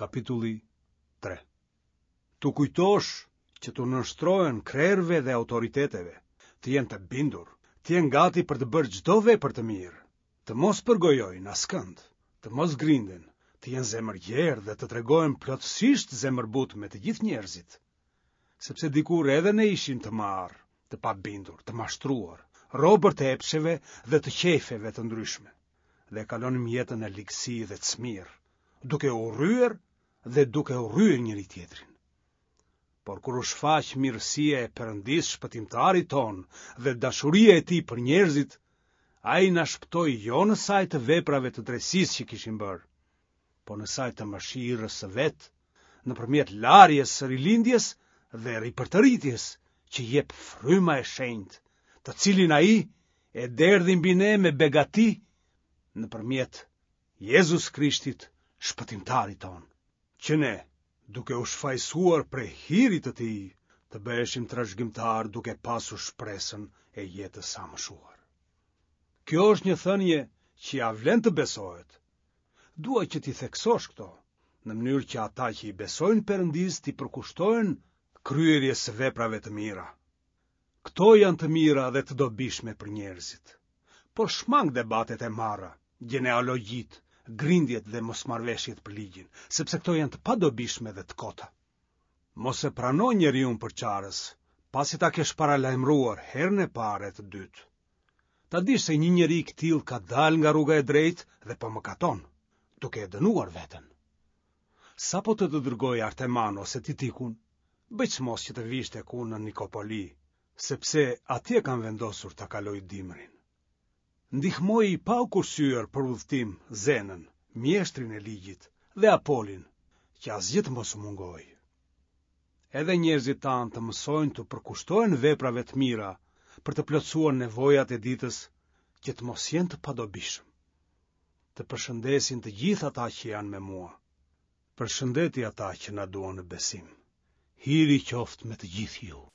Kapitulli 3. T'u kujtosh që t'u nënshtrohen krerëve dhe autoriteteve, të jenë të bindur, të jenë gati për të bërë çdo vepër të mirë, të mos përgojojnë askënd, të mos grinden, të jenë zemërgjerë dhe të tregohen plotësisht zemërbutë me të gjithë njerëzit. Sepse dikur edhe ne ishim të marrë, të pabindur, të mashtruar, robër të epsheve dhe të qejfeve të ndryshme, dhe kalonim jetën në ligësi dhe cmirë, duke urryer dhe duke urryer njëri-tjetrin. Por kur u shfaq mirësia e Perëndisë shpëtimtarit tonë dhe dashuria e tij për njerëzit, ai na shpëtoi jo në sajë të veprave të drejtësisë që kishim bërë, por në sajë të mëshirës së vet, nëpërmjet larjes së rilindjes dhe ripërtëritjes që jep fryma e shenjtë, të cilin ai e derdhi mbi ne me begati nëpërmjet Jezus Krishtit, shpëtimtarit tonë, që ne, duke u shfajësuar prej hirit të tij, të bëheshim trashëgimtarë duke pasur shpresën e jetës së amshuar. Kjo është një thënie që ia vlen të besohet. Dua që t'i theksosh këto, në mënyrë që ata që i besojnë Perëndisë t'i përkushtohen kryerjes së veprave të mira. Këto janë të mira dhe të dobishme për njerëzit. Por shmang debatet e marra, gjenealogjitë, grindjet dhe mosmarrëveshjet për ligjin, sepse këto janë të padobishme dhe të kota. Mos e prano njeriun përçarës, pasi ta kesh paralajmëruar herën e parë e të dytë. Ta dish se një njeri i këtillë ka dalë nga rruga e drejtë dhe po mëkaton, duke e dënuar veten. Sapo të të dërgoj Arteman ose Titikun, bëj çmos që të vish tek unë në Nikopoli, sepse atje kam vendosur ta kaloj dimrin. Ndihmoji pa u kursyer për udhëtim Zenën, mjeshtrin e ligjit, dhe Apolin, që asgjë të mos u mungojë. Edhe njerëzit tanë të mësojnë t'u përkushtohen veprave të mira për të plotësuar nevojat e ditës që të mos jenë të padobishëm. Të përshëndesin të gjithë ata që janë me mua. Përshëndeti ata që na duan në besim. Hiri qoftë me të gjithë ju.